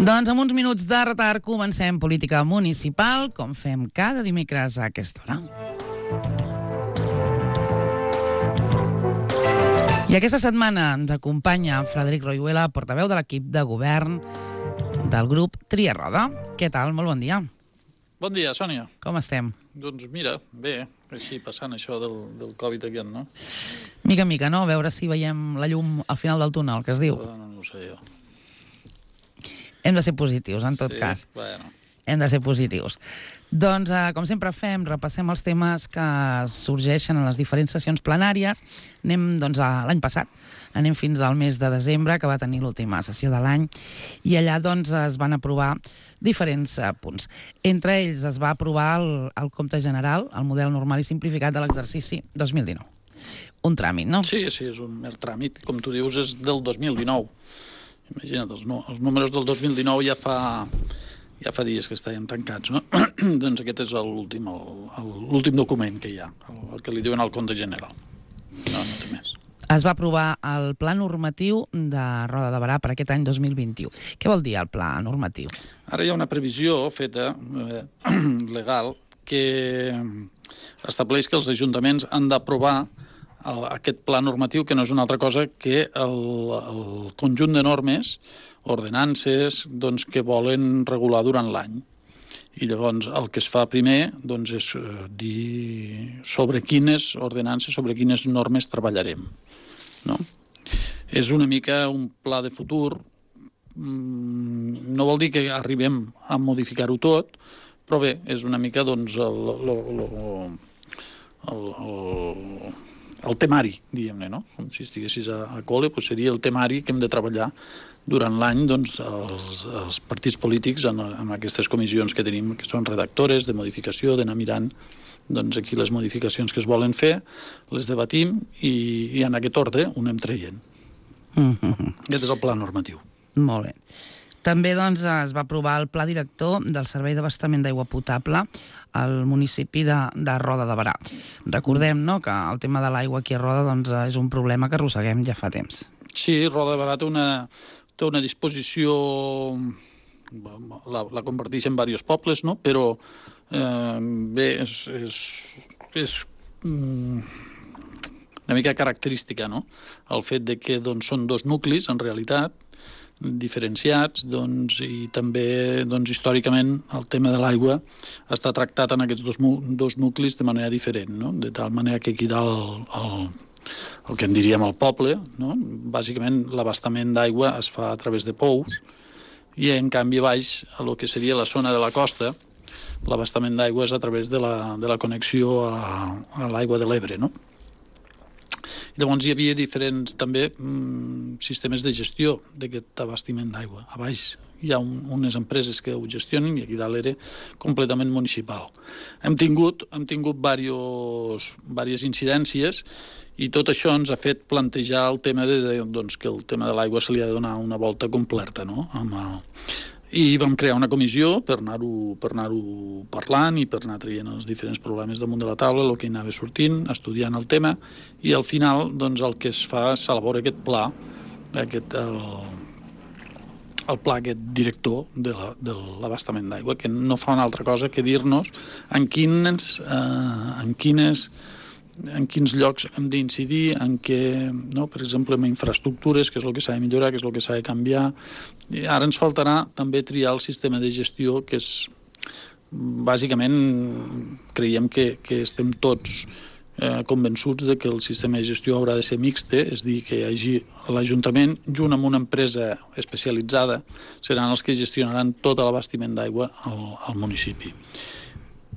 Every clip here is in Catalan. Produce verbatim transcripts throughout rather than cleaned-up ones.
Doncs amb uns minuts de retard comencem política municipal, com fem cada dimecres a aquesta hora. I aquesta setmana ens acompanya Frederic Royuela, portaveu de l'equip de govern del grup Tria Roda. Què tal? Molt bon dia. Bon dia, Sònia. Com estem? Doncs mira, bé, així passant això del, del Covid aquest, no? Mica en mica, no? A veure si veiem la llum al final del túnel, que es diu. No, no ho sé jo. Hem de ser positius, en tot sí, cas. Bueno. Hem de ser positius. Doncs, eh, com sempre fem, repassem els temes que sorgeixen en les diferents sessions plenàries. Anem, doncs, a l'any passat. Anem fins al mes de desembre, que va tenir l'última sessió de l'any, i allà, doncs, es van aprovar diferents eh, punts. Entre ells es va aprovar el, el compte general, el model normal i simplificat de l'exercici dos mil dinou. Un tràmit, no? Sí, sí, és un mer tràmit. Com tu dius, és del dos mil dinou. Imagina't, els, no, els números del dos mil dinou ja fa... Ja fa dies que estàvem tancats, no? Doncs aquest és l'últim l'últim document que hi ha, el, el que li diuen al compte general. No, no té més. Es va aprovar el pla normatiu de Roda de Berà per aquest any dos mil vint-i-u. Què vol dir el pla normatiu? Ara hi ha una previsió feta eh, legal que estableix que els ajuntaments han d'aprovar el, aquest pla normatiu, que no és una altra cosa que el, el conjunt de normes, ordenances, doncs, que volen regular durant l'any. I llavors el que es fa primer doncs, és eh, dir sobre quines ordenances, sobre quines normes treballarem. No? És una mica un pla de futur. No vol dir que arribem a modificar-ho tot, però bé, és una mica doncs, el, el, el, el, el temari, diguem-ne, no? Com si estiguessis a, a col·le, doncs seria el temari que hem de treballar durant l'any, doncs, els, els partits polítics en, en aquestes comissions que tenim, que són redactores de modificació, d'anar mirant doncs, aquí les modificacions que es volen fer, les debatim i, i en aquest ordre ho anem traient. Mm-hmm. Aquest és el pla normatiu. Molt bé. També doncs, es va aprovar el pla director del Servei d'Abastament d'Aigua Potable al municipi de, de Roda de Berà. Recordem, no?, que el tema de l'aigua aquí a Roda doncs, és un problema que arrosseguem ja fa temps. Sí, Roda de Berà té una, té una disposició, la, la converteix en diversos pobles, no?, però eh, bé, és, és, és mm, una mica característica, no?, el fet de que doncs, són dos nuclis, en realitat, diferenciats, doncs, i també doncs, històricament el tema de l'aigua està tractat en aquests dos, dos nuclis de manera diferent, no?, de tal manera que aquí dalt el, el que en diríem el poble, no?, bàsicament l'abastament d'aigua es fa a través de pous i en canvi baix a lo que seria la zona de la costa l'abastament d'aigua és a través de la, de la connexió a, a l'aigua de l'Ebre, no? Llavors hi havia diferents també mm, sistemes de gestió d'aquest abastiment d'aigua. A baix hi ha un, unes empreses que ho gestionen i aquí dalt era completament municipal. Hem tingut, hem tingut diversos, diverses incidències i tot això ens ha fet plantejar el tema de, de, doncs, que el tema de l'aigua se li ha de donar una volta completa, no? Amb el... I vam crear una comissió per anar-ho per anar-ho parlant i per anar traient els diferents problemes damunt de la taula, el que hi anava sortint, estudiant el tema, i al final doncs, el que es fa s'elabora aquest pla, aquest, el, el pla aquest director de la, de l'abastament d'aigua, que no fa una altra cosa que dir-nos en quines, eh, en quines en quins llocs hem d'incidir, en què, no? Per exemple, en infraestructures, què és el que s'ha de millorar, què és el que s'ha de canviar. I ara ens faltarà també triar el sistema de gestió, que és, bàsicament, creiem que, que estem tots eh, convençuts de que el sistema de gestió haurà de ser mixte, és dir, que hi hagi l'Ajuntament, junt amb una empresa especialitzada, seran els que gestionaran tot l'abastiment d'aigua al, al municipi.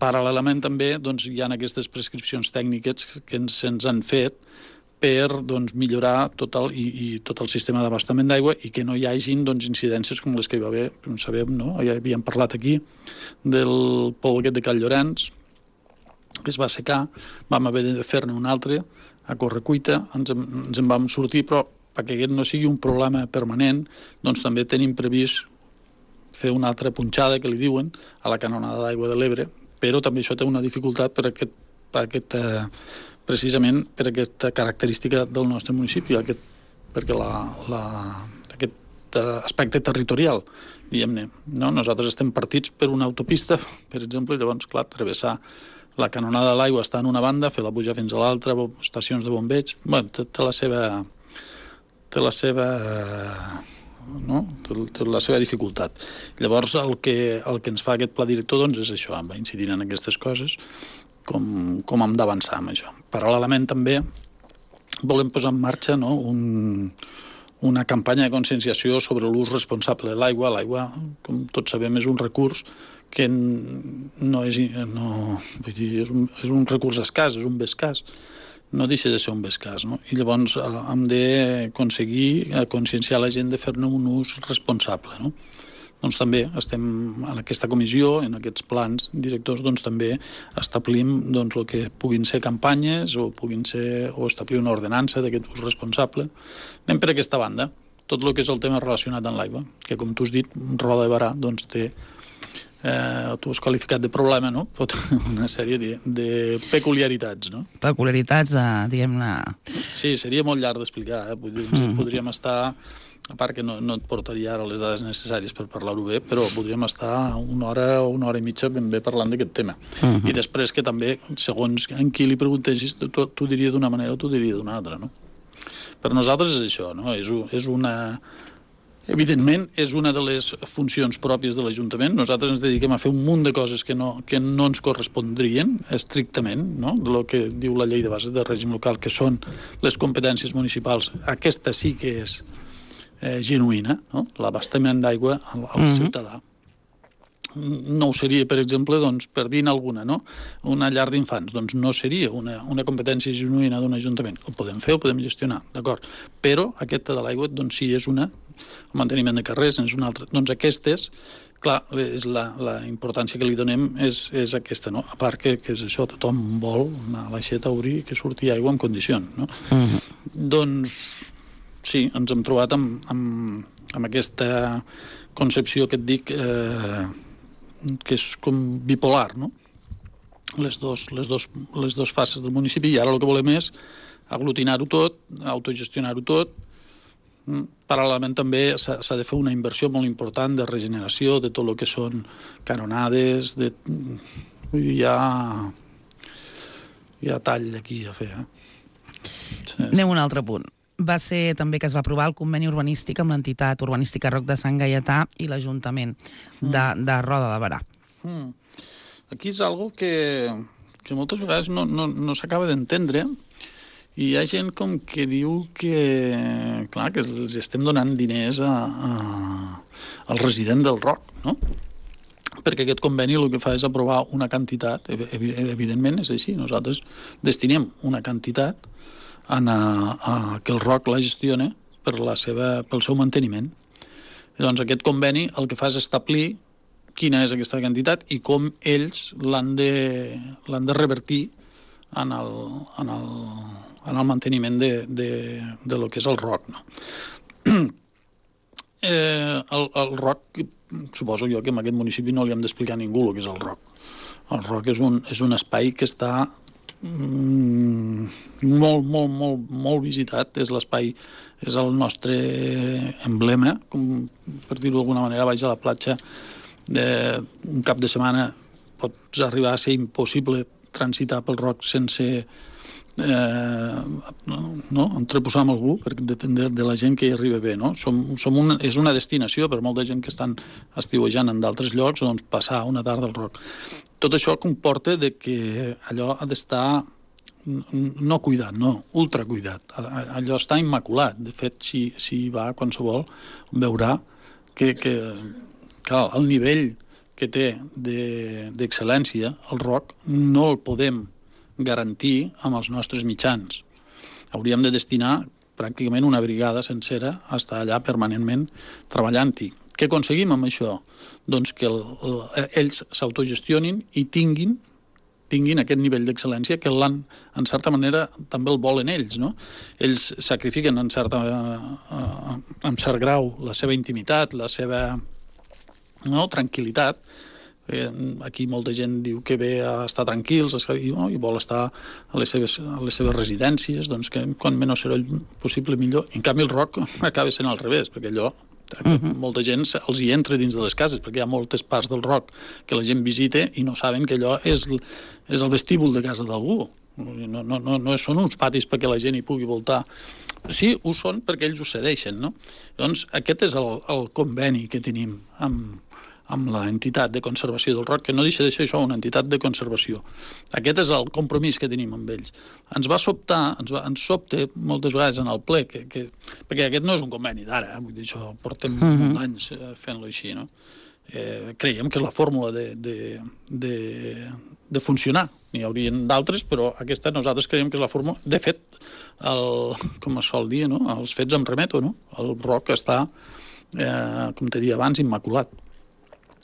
Paral·lelament també doncs, hi ha aquestes prescripcions tècniques que ens, ens han fet per doncs, millorar tot el, i, i tot el sistema d'abastament d'aigua i que no hi hagin doncs, incidències com les que hi va haver, com sabem, no? Ja havíem parlat aquí del pou aquest de Cal Llorenç, que es va assecar, vam haver de fer-ne un altre a correcuita, ens, ens en vam sortir, però perquè aquest no sigui un problema permanent, doncs també tenim previst fer una altra punxada, que li diuen, a la canonada d'aigua de l'Ebre, però també això té una dificultat per aquest, per aquest, eh, precisament per aquesta característica del nostre municipi, aquest, perquè la, la, aquest aquest aspecte territorial, diguem-ne. No? Nosaltres estem partits per una autopista, per exemple, i llavors, clar, travessar la canonada de l'aigua està en una banda, fer-la pujar fins a l'altra, estacions de bombeig... Bé, té, té la seva... té la seva... no? Té la seva dificultat. Llavors, el que, el que ens fa aquest pla director doncs, és això, va incidir en aquestes coses, com, com hem d'avançar amb això. Paral·lelament, també, volem posar en marxa no, un, una campanya de conscienciació sobre l'ús responsable de l'aigua. L'aigua, com tots sabem, és un recurs que no és, no, vull dir, és, un, és un recurs escàs, és un bé escàs. No deixa de ser un bé escàs, no? I llavors hem d'aconseguir conscienciar la gent de fer-ne un ús responsable, no? Doncs també estem en aquesta comissió, en aquests plans directors, doncs també establim doncs, el que puguin ser campanyes o puguin ser o establir una ordenança d'aquest ús responsable. Anem per aquesta banda, tot el que és el tema relacionat amb l'aigua, que com tu has dit, Roda de Berà doncs, té, eh, tu has qualificat de problema, no? Pot una sèrie de, de peculiaritats, no? Peculiaritats, eh, diguem-ne... Sí, seria molt llarg d'explicar, eh? Mm. Podríem estar... A part que no, no et portaria ara les dades necessàries per parlar-ho bé, però podríem estar una hora o una hora i mitja ben bé parlant d'aquest tema. Uh-huh. I després que també, segons en qui li preguntessis, tu, tu diria d'una manera o tu diria d'una altra, no? Per nosaltres és això, no? És, és una... Evidentment, és una de les funcions pròpies de l'Ajuntament. Nosaltres ens dediquem a fer un munt de coses que no, que no ens correspondrien estrictament, no? De lo que diu la llei de bases de règim local, que són les competències municipals. Aquesta sí que és Eh, genuïna, no? L'abastament d'aigua al, al mm-hmm. ciutadà. No ho seria, per exemple, doncs, per dir alguna, no? Una llar d'infants, doncs no seria una, una competència genuïna d'un ajuntament. Ho podem fer, ho podem gestionar, d'acord. Però aquesta de l'aigua, doncs sí, és una, el manteniment de carrers és una altra. Doncs aquestes, clar, és la, la importància que li donem és, és aquesta, no? A part que, que és això, tothom vol anar a l'aixeta a obrir que surti aigua en condicions, no? Mm-hmm. Doncs... sí, ens hem trobat amb, amb, amb aquesta concepció que et dic eh, que és com bipolar, no? Les dos, les, dos, les dos fases del municipi, i ara el que volem és aglutinar-ho tot, autogestionar-ho tot. Paral·lelament també s'ha de fer una inversió molt important de regeneració de tot el que són canonades, de... hi ha, hi ha tall aquí a fer. Eh? Sí, Anem a un altre punt. Va ser també que es va aprovar el conveni urbanístic amb l'entitat urbanística Roc de Sant Gaietà i l'Ajuntament de, de Roda de Berà. Mm. Aquí és algo que, que moltes vegades no, no, no s'acaba d'entendre, i hi ha gent com que diu que, clar, que els estem donant diners a, a, al resident del Roc, no? Perquè aquest conveni el que fa és aprovar una quantitat, evidentment és així, nosaltres destinem una quantitat a, a que el Roc la gestione per la seva, pel seu manteniment. I doncs aquest conveni el que fa és establir quina és aquesta quantitat i com ells l'han de, l'han de revertir en el, en el, en el manteniment de, de, de lo que és el Roc. No? eh, el, el Roc, suposo jo que en aquest municipi no li hem d'explicar a ningú el que és el Roc. El Roc és un, és un espai que està Mm, molt, molt, molt, molt visitat. És l'espai, és el nostre emblema, com per dir-ho d'alguna manera. Baix a la platja eh, un cap de setmana pots arribar a ser impossible transitar pel Roc sense eh, no, entreposar amb algú, perquè depèn de, de la gent que hi arriba bé, no? Som, som una, és una destinació per molta gent que estan estiuejant en d'altres llocs, doncs passar una tarda al Roc. Tot això comporta de que allò ha d'estar no cuidat, no, ultra cuidat. Allò està immaculat. De fet, si, si hi va qualsevol, veurà que, que, que el nivell que té d'excel·lència, el Roc, no el podem garantir amb els nostres mitjans. Hauríem de destinar pràcticament una brigada sencera a estar allà permanentment treballant-hi. Què aconseguim amb això? Doncs que el, el, ells s'autogestionin i tinguin, tinguin aquest nivell d'excel·lència que l'han, en certa manera, també el volen ells, no? Ells sacrifiquen en, certa, eh, en cert grau la seva intimitat, la seva no, tranquil·litat. Eh, aquí molta gent diu que ve a estar tranquils i, no, i vol estar a les seves, a les seves residències, doncs que quan menys soroll possible millor. En canvi el Roc acaba sent al revés, perquè allò Uh-huh. Molta gent els hi entra dins de les cases, perquè hi ha moltes parts del Roc que la gent visita i no saben que allò és, és el vestíbul de casa d'algú. No, no, no, no són uns patis perquè la gent hi pugui voltar. Sí, ho són perquè ells ho cedeixen, no? Doncs aquest és el, el conveni que tenim amb, amb l'entitat de conservació del Roc, que no deixa de ser això, una entitat de conservació. Aquest és el compromís que tenim amb ells. Ens va sobtar, ens, va, ens sobte moltes vegades en el ple, que, que, perquè aquest no és un conveni d'ara, eh? Vull dir, això portem uh-huh. molts anys fent-lo així, no? Eh, creiem que és la fórmula de, de, de, de funcionar. N'hi haurien d'altres, però aquesta nosaltres creiem que és la fórmula. De fet, el, com es sol dir, no? Els fets em remeto, no? El Roc està, eh, com te dia abans, immaculat.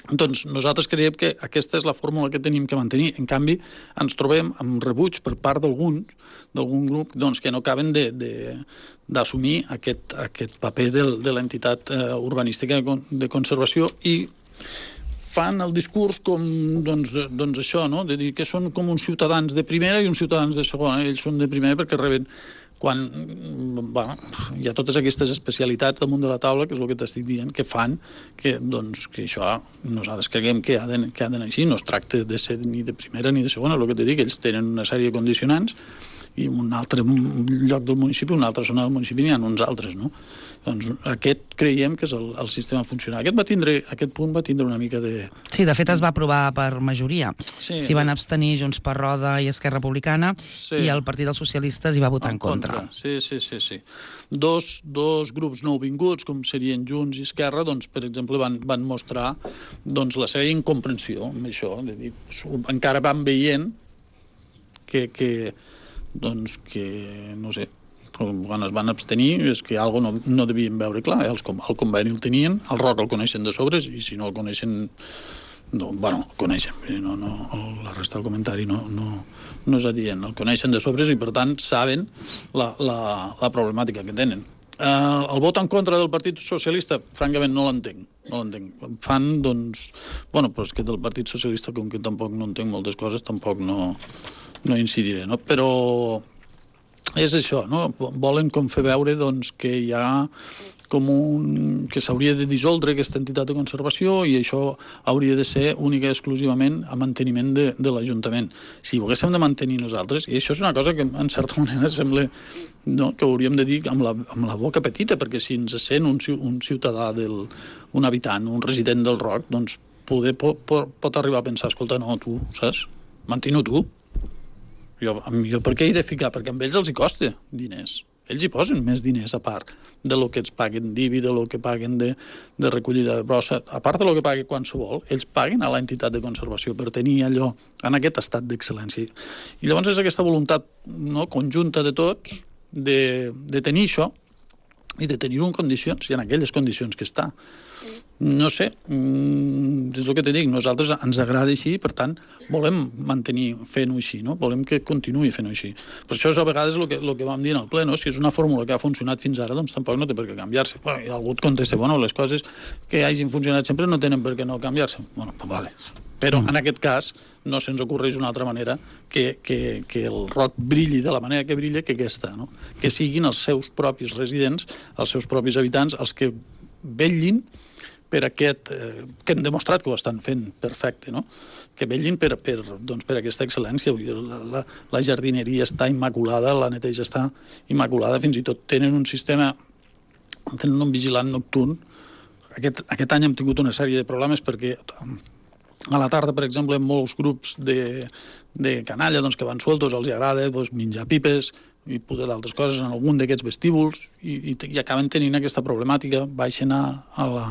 Doncs nosaltres creiem que aquesta és la fórmula que tenim que mantenir. En canvi, ens trobem amb rebuig per part d'alguns, d'algun grup, doncs, que no acaben d'assumir aquest, aquest paper de, de l'entitat eh, urbanística de conservació i fan el discurs com, doncs, doncs això, no? De dir que són com uns ciutadans de primera i uns ciutadans de segona. Ells són de primera perquè reben quan bueno, hi ha totes aquestes especialitats damunt de la taula, que és el que t'estic dient, que fan que, doncs, que això nosaltres creiem que ha d'anar així. No es tracta de ser ni de primera ni de segona, el que t'he dit, ells tenen una sèrie de condicionants i en un altre lloc del municipi, una altra zona del municipi, n'hi ha uns altres, no? Doncs aquest creiem que és el, el sistema funcional. Aquest, va tindre, aquest punt va tindre una mica de... Sí, de fet es va aprovar per majoria. Sí, S'hi van abstenir Junts per Roda i Esquerra Republicana, sí. I el Partit dels Socialistes hi va votar en, en contra. contra. Sí, sí, sí, sí. Dos, dos grups nouvinguts, com serien Junts i Esquerra, doncs, per exemple, van, van mostrar doncs, la seva incomprensió amb això. De dir, encara van veient que... que doncs que, no sé, quan es van abstenir és que alguna cosa no, no devien veure clar, els, el conveni el tenien, el Roc el coneixen de sobres i si no el coneixen, no, bueno, el coneixen, no, no, la resta del comentari no, no, no és adient, el coneixen de sobres i per tant saben la, la, la problemàtica que tenen. Uh, el vot en contra del Partit Socialista, francament, no l'entenc. No l'entenc. Fan, doncs... Bueno, però és que del Partit Socialista, com que tampoc no entenc moltes coses, tampoc no, no incidiré, no? Però és això, no? Volen com fer veure, doncs, que hi ha com un... que s'hauria de dissoldre aquesta entitat de conservació i això hauria de ser única i exclusivament a manteniment de, de l'Ajuntament. Si ho haguéssim de mantenir nosaltres, i això és una cosa que en certa manera sembla, no, que hauríem de dir amb la, amb la boca petita, perquè si ens sent un, un ciutadà, del, un habitant, un resident del Roc, doncs poder, pot, pot arribar a pensar, escolta, no, tu, saps? Mantino tu. Jo, jo per què he de ficar? Perquè amb ells els hi costa diners. Ells hi posen més diners a part de lo que ens paguen d'I B I, de lo que paguen de, de recollida de brossa, a part de lo que paguen qualsevol, ells paguen a l'entitat de conservació per tenir allò en aquest estat d'excel·lència. I llavors és aquesta voluntat, no, conjunta de tots de, de tenir això i de tenir-ho en condicions, i en aquelles condicions que està. No sé, és el que te dic, nosaltres ens agrada així, per tant, volem mantenir fent-ho així, no? Volem que continuï fent-ho així. Per això és a vegades el que, el que vam dir en el ple, no? Si és una fórmula que ha funcionat fins ara, doncs tampoc no té per què canviar-se. Bueno, i algú et contesta, bueno, les coses que hagin funcionat sempre no tenen per què no canviar-se. Bueno, pues vale. Però en aquest cas no se'ns ocorreix una altra manera que, que, que el Roc brilli de la manera que brilla que aquesta, no? Que siguin els seus propis residents, els seus propis habitants, els que vetllin per aquest, eh, que hem demostrat que ho estan fent perfecte, no? Que vetllin per, per, doncs, per aquesta excel·lència. La, la, la jardineria està immaculada, la neteja està immaculada, fins i tot tenen un sistema, tenen un vigilant nocturn. Aquest, aquest any hem tingut una sèrie de problemes perquè a la tarda, per exemple, molts grups de, de canalla doncs, que van sueltos, els agrada doncs, menjar pipes i poder d'altres coses en algun d'aquests vestíbuls i, i, i acaben tenint aquesta problemàtica, baixen a, a la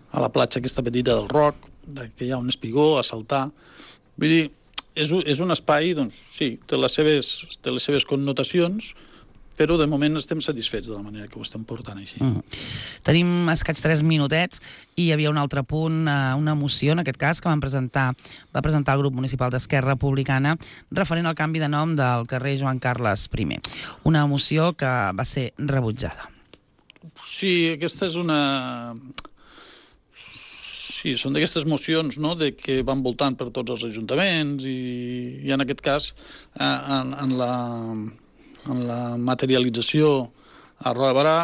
a la platja aquesta petita del Roc, que hi ha un espigó, a saltar. Vull dir, és, és un espai, doncs, sí, té les seves, té les seves connotacions, però de moment estem satisfets de la manera que ho estem portant així. Mm. Tenim escaig tres minutets i hi havia un altre punt, una moció, en aquest cas, que van presentar, va presentar el grup municipal d'Esquerra Republicana referent al canvi de nom del carrer Joan Carles primer. Una moció que va ser rebutjada. Sí, aquesta és una... Sí, són d'aquestes mocions, no?, de que van voltant per tots els ajuntaments i, i en aquest cas, en, en, la, en la materialització a Roda de Barà,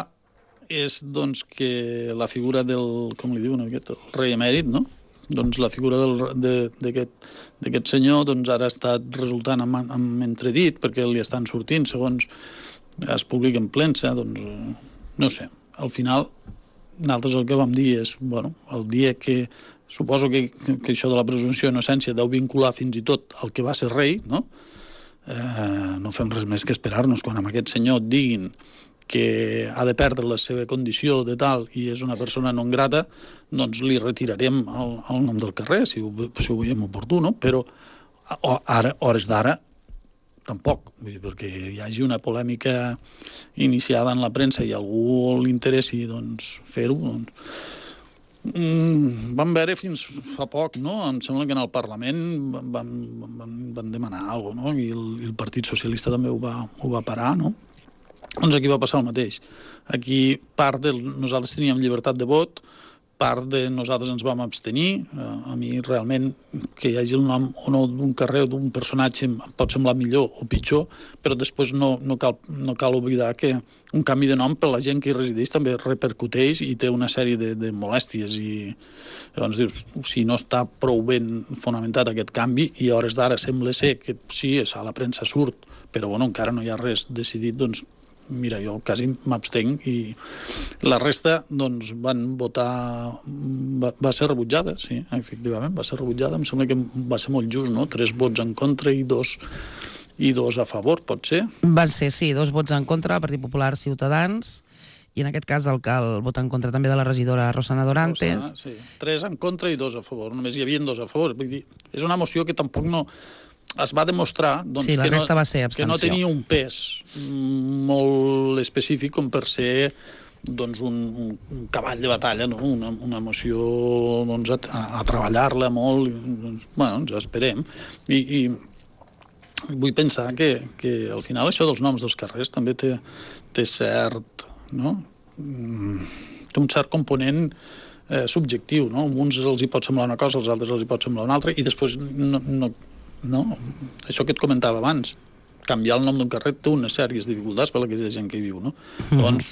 és doncs, que la figura del, com li diuen, aquest, el rei emèrit, no? Doncs la figura d'aquest senyor doncs, ara ha estat resultant amb, amb entredit, perquè li estan sortint, segons es publica en premsa, doncs, no sé, al final nosaltres el que vam dir és, bueno, el dia que, suposo que, que això de la presumpció d'innocència deu vincular fins i tot el que va ser rei, no? Eh, no fem res més que esperar-nos quan amb aquest senyor et diguin que ha de perdre la seva condició de tal i és una persona non grata, doncs li retirarem el, el nom del carrer, si ho, si ho veiem oportú, no? Però ara, hores d'ara, tampoc, vull dir, perquè hi hagi una polèmica iniciada en la premsa i a algú li interessi doncs, fer-ho, doncs... Mm, vam veure fins fa poc, no? Em sembla que en el Parlament van, van, van demanar alguna cosa, no? I el, i el Partit Socialista també ho va, ho va parar, no? Doncs aquí va passar el mateix. Aquí part de nosaltres teníem llibertat de vot, part de nosaltres ens vam abstenir. A mi realment que hi hagi el nom o no d'un carrer o d'un personatge em pot semblar millor o pitjor, però després no, no, cal, no cal oblidar que un canvi de nom per la gent que hi resideix també repercuteix i té una sèrie de, de molèsties i llavors dius, si no està prou ben fonamentat aquest canvi i a hores d'ara sembla ser que sí, a la premsa surt, però bueno, encara no hi ha res decidit, doncs mira, jo quasi m'abstenc i la resta doncs van votar, va, va ser rebutjada, sí, efectivament, va ser rebutjada, em sembla que va ser molt just, no? Tres vots en contra i dos, i dos a favor, pot ser? Van ser, sí, dos vots en contra, Partit Popular, Ciutadans, i en aquest cas el, el vot en contra també de la regidora Rosana Dorantes. Rosana, sí, tres en contra i dos a favor, només hi havia dos a favor, vull dir, és una moció que tampoc no... es va demostrar doncs, sí, que, no, va ser que no tenia un pes molt específic com per ser doncs, un, un cavall de batalla, no? una, una moció doncs, a, a treballar-la molt, doncs, bueno, ja esperem. I, i vull pensar que, que al final això dels noms dels carrers també té, té cert, no? té un cert component eh, subjectiu, no? A uns els hi pot semblar una cosa, als altres els hi pot semblar una altra, i després no, no no? Això que et comentava abans, canviar el nom d'un carrer té unes sèries dificultats per a aquella gent que hi viu, no? Mm. Llavors,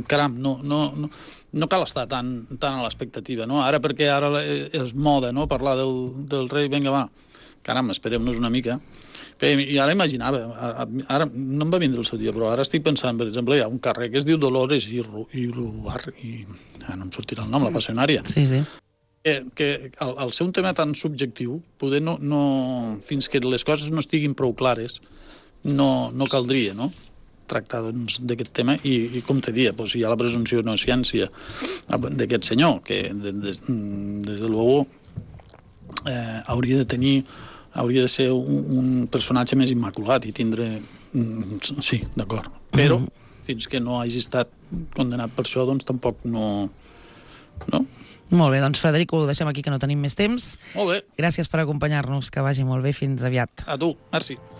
caram, no, no, no, no cal estar tan, tan a l'expectativa, no? Ara perquè ara és moda, no?, parlar del, del rei, vinga, va, caram, esperem-nos una mica. I ara imaginava, ara no em va vindre el seu dia, però ara estic pensant, per exemple, hi ha un carrer que es diu Dolores i Rubar, i no em sortirà el nom, la Passionària. Sí, sí. Que, que al, al ser un tema tan subjectiu, poder no, no, fins que les coses no estiguin prou clares, no, no caldria, no?, tractar doncs, d'aquest tema i, i com te dia, doncs, hi ha la presumpció d'innocència d'aquest senyor, que de, de, des de luego eh, hauria de tenir, hauria de ser un, un personatge més immaculat i tindre... Sí, d'acord. Però fins que no hagi estat condenat per això, doncs tampoc no... no? Molt bé, doncs Frederico, ho deixem aquí que no tenim més temps. Molt bé. Gràcies per acompanyar-nos, que vagi molt bé, fins aviat. A tu, merci.